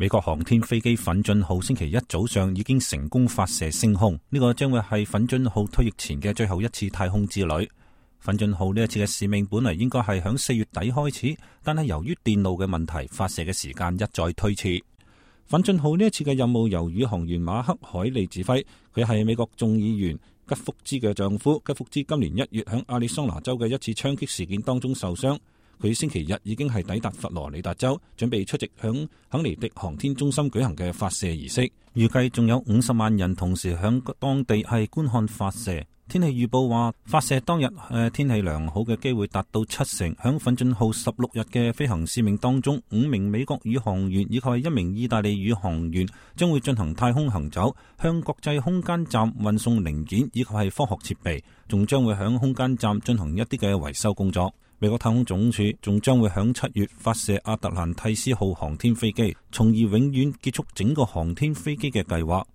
美國航天飛機奮進號星期一早上已經成功發射升空，呢個將會係奮進號退役前嘅最後一次太空之旅。奮進號呢一次嘅使命本嚟應該係響4月底開始，但係由於電路嘅問題，發射嘅時間一再推遲。奮進號呢一次嘅任務由宇航員馬克海利指揮，佢係美國眾議員吉福茲嘅丈夫。吉福茲今年1月響亞利桑那州嘅一次槍擊事件當中受傷。佢星期日已經係抵達佛羅里達州，準備出席響肯尼迪航天中心舉行嘅發射儀式。預計仲有50萬人同時響當地係觀看發射。天氣預報話，發射當日天氣良好嘅機會達到70%。響奮進號16日嘅飛行使命當中，5名美國宇航員以及1名意大利宇航員將會進行太空行走，向國際空間站運送零件以及係科學設備，仲將會響空間站進行一啲嘅維修工作。美國太空總署仲將會響7月發射亞特蘭蒂斯號航天飛機，從而永遠結束整個航天飛機嘅計劃。